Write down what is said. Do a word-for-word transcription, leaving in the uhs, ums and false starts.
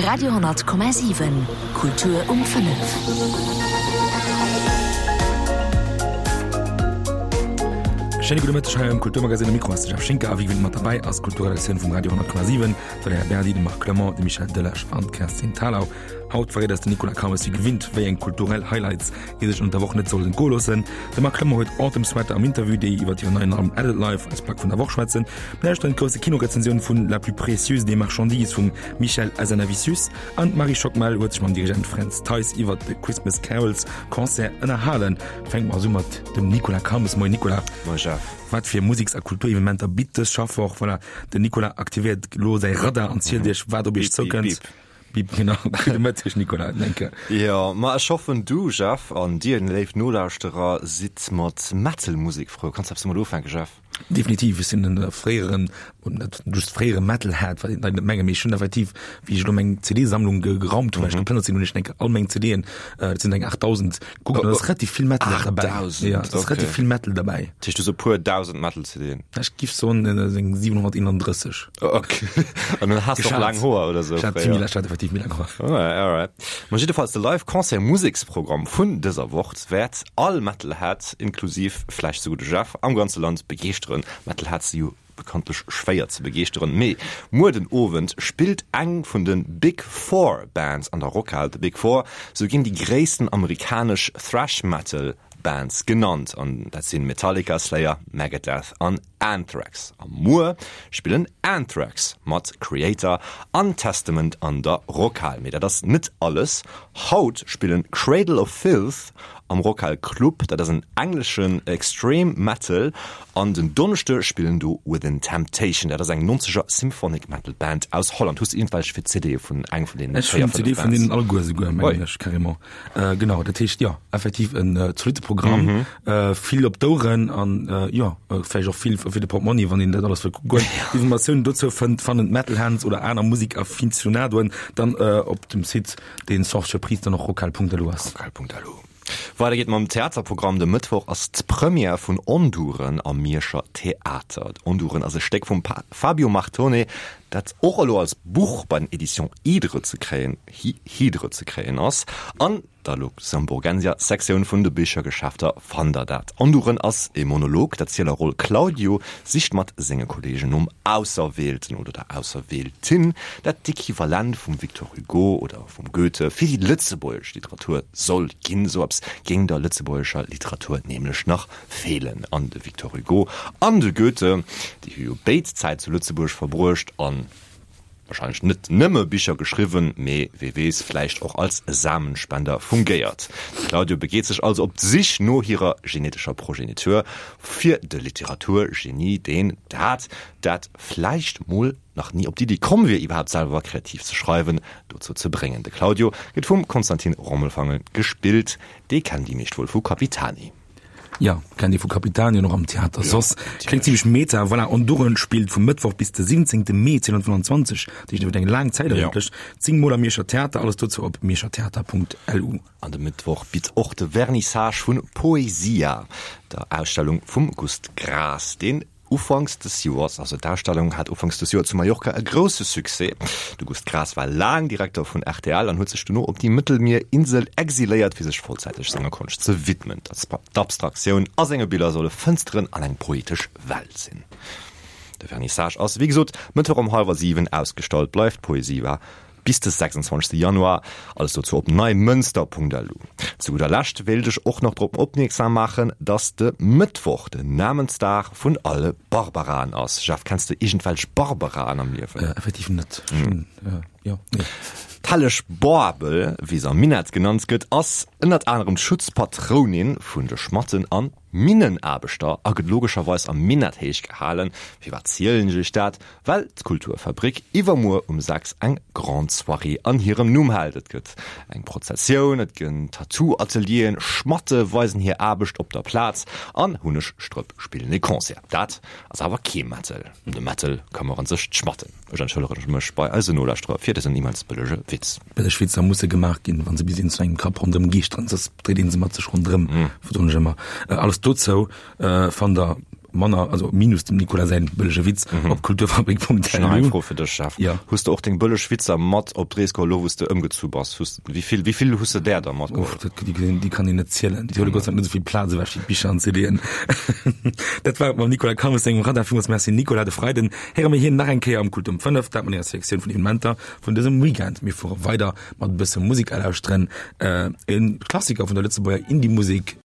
Radio honnert Komma siwen, Kultur um fënnef. Schéine gudde Mëtteg hei am Kulturmagazin. Um Mikro ass de Jeff Schinker a wéi gewinnt mat derbäi ass d'Kulturredaktioun vum Radio honnert Komma siwen, d'Valerija Berdi, de Marc Clement, de Michel Delage an d'Kerstin Thalau. Haut verréit eis den Nicolas Calmes wéi gewinnt, wéi eng kulturell Highlights ee sech ënnert der Woch net sollt entgoe loossen. De Marc Clement huet Autumn Sweater am Interview, déi iwwer hiren neien Album Adult Life als Plack vun der Woch schwätzen. Mir lauschteren d'grousse Kinorezensioun vun La plus précieuse des marchandises vum Michel Hazanavicius an d'Marie Schockmel huet sech mam Dirigent Fränz Theis iwwer de Christmas Carols Concert ënnerhalen. Fänke mer also u mat dem Nicolas Calmes. Moien Nicolas. Moie Jeff. Wat fir Museks a Kulturevenementer bitt dës Schaffwoch? Voilà, den Nicolas aktivéiert elo säi Radar an zielt iech, wat op iech zoukënnt. Bip, bip. Bip, genau. Gudde Mëtteg, Nicolas. Danke. Jo, ma ech hoffen du, Jeff, an dir, léif Nolauschterer, sidd mat Metal-Musek frou. Kanns eppes domat ufänken, Jeff? Definitiv, ech sinn en fréieren, net just fréiere Metalhead, wat een Leit net mengen, mee ech hunn effektiv, wéi ech elo meng C D-Sammlung geraumt hunn, well ech geplënnert sinn, hunn ech enk all meng C D'en, dat sinn eng aachtdausend, gekuckt an da ass relativ vill Metal derbäi. aachtdausend? Jo, et ass relativ vill Metal derbäi. Dat heescht, du hues e puer dausend Metal-C D'en? Ech giff soen, et sinn siwenhonnerteenandrësseg. Ok. An dann has de och laang Hoer oder sou Ech hat fréier. ech hat effektiv méi laang Hoer. Alright, alright. Ma jiddefalls, de Live-Concert-Museksprogramm vun dëser Woch wäert all Metalhead, inklusiv vläicht souguer de Jeff, am ganze Land begeeschteren. Metalheads si jo bekanntlech schwéier ze begeeschteren. Mee muer den Owend spillt eng vun de Big Four Bands an der Rockhal. De Big Four, sou ginn déi gréissten amerikanesch Thrash Metal Bands genannt, an dat sinn Metallica, Slayer, Megadeth an Anthrax. A muer spillen Anthrax mat Kreator an Testament an der Rockhal. Mee dat ass net alles, haut spillen Cradle of Filth am Rockhal Club, dat ass en engleschen Extreme Metal, an den Donneschde spillen do Within Temptation, dat ass eng nonzeger Symphonic Metal Band aus Holland. Hues de iergendwelch fir C D vun engem vun deenen Ech véier, hunn fënnef C D vun Bands? deenen alleguer esouguer, mengen Oi. ech, carrément. Genau, dat heescht, jo, effektiv en zolitte Programm, vill op d'Oueren an, jo, vläicht och vill fir de Portmonni, wann een dat alles wëll kucken. Informatiounen dozou fënnt fannen d'Metalhands oder aner Musikaficionadoen dann op dem Site, deen sans surprise dann och rockhal Punkt L U ass. Rockhal Punkt L U. Weider geet mam Theaterprogramm. De Mëttwoch ass d'Première vun Onduren am Mierscher Theater. Onduren ass e Stéck vum Fabio Martone, dat och elo als Buch bei den Editions Hydre ze kréien, Hydre ze kréien ass. An der Luxemburgensia Sektioun vun de Bichergeschäfter fannt der dat. Onduren ass e Monolog, D'Erzielerroll Claudio sicht mat senge Kolleegen nom Auserwielten oder der Auserwieltin, dat d'Equivalent vum Victor Hugo oder vum Goethe fir déi lëtzebuergesch Literatur soll ginn. Esou eppes géing der lëtzebuergescher Literatur nämlech nach feelen. An de Victor Hugo an de Goethe, déi hu jo béid Zäit zu Lëtzebuerg verbruecht an wahrscheinlech net nëmme Bicher geschriwwen, mee wee weess, vläicht och als Samenspender fungéiert. De Claudio begeet sech also op d'Sich no hirer genetescher Progenitur fir de Literaturgenie, deen dat, dat vläicht mol nach ni op d'Iddi komm wier, iwwerhaapt selwer kreativ ze schreiwen, dozou ze bréngen. De Claudio gëtt vum Konstantin Rommelfangen gespillt, dee kennen déi meescht wuel vu Capitani. Jo, kennt ee vu Capitani an och am Theater soss. Kléngt zimlech meta. Voilà, Onduren spillt vum Mëttwoch bis de siwwenzéngte Mee zweedausendfënnwanzwanzeg, dat heescht iwwer eng laang Zäit eigentlech, zéng Mol am Mierscher Theater. Alles dozou op mierschertheater Punkt L U. An de Mëttwoch bitt och de Vernissage vun Poesia, der Ausstellung vum Gust Graas, deen Ufanks des Joers, also d'Ausstellung hat ufanks des Joer zu Mallorca e grousse Succès. De Gust Graas war laang Direkter vun R T L an huet sech dono op déi Mëttelmier-Insel exiléiert, fir sech vollzäiteg senger Konscht ze widmen. D'Abstraktioun a senge Biller solle Fënsteren an eng poetesch Welt sinn. De Vernissage ass, wéi gesot, Mëttwoch um hallwer siwen. Ausgestallt bleift Poesia bis de sechsundzwanzegste Januar. Alles dozou op neimënster Punkt L U. Zu gudder Lescht wéilt ech och nach drop opmierksam maachen, dass de Mëttwoch den Namensdag vun alle Barbaraen ass. Jeff, kenns de iergendwelch Barbaraen am Liewen? Effektiv net. Ech hunn, jo, nee. D'helleg Barbel, wéi se am Minett genannt gëtt, ass ënnert anerem d'Schutzpatrounin vun de Schmatten an Minnenaarbechter a gëtt logescherweis am Minett héich gehalen. Firwat zielen ech iech dat? Well d'Kulturfabrik iwwermuer um sechs eng Grande Soirée an hirem Numm hält. Et gëtt eng Prozessioun, et gënn Tattoo-Atelieren, Schmatte weisen hir Aarbecht op der Plaz an Hunnegstrëpp spillen e Concert. Dat ass awer kee Metal. Ëm de Metal këmmere sech d'Schmatten. Ech entschëllege mech bei eisen Nolauschterer fir dësen immens bëllege Witz. Bëlleg Witzer musse gemaach ginn, wa se bis een zu engem Kapp ronderëm geeschteren, soss dréit ee se mat sech ronderëm, soen ech ëmmer. Alles dozou fannt der manner, also minus dem Nicolas säin bëllege Witz mhm. op kulturfabrik.lu. Fro fir dech, Jeff. Ja. Hues de och deng bëlleg Witzer mat op d'Rees geholl, lo wou s de ëmgezu bass? Hues, wéi vill, wéi vill hues de där da matgeholl? Uff, dat, déi, déi kann een net zielen. Déi huele Gott sei Dank net esou vill Plaz ewech wéi d'Bicher an d'CDen. Dat war et mam Nicolas Calmes sengem Radar. Villmools Merci Nicolas. De Freiden héiere mir hien nach eng Kéier am Kult um fënnef, dat mat enger Selektioun vun Evenementer vun dësem Weekend. Mir fuere weider mat e bësse Musek alauschteren. E Klassiker vun der Lëtzebuerger Indie-Musek.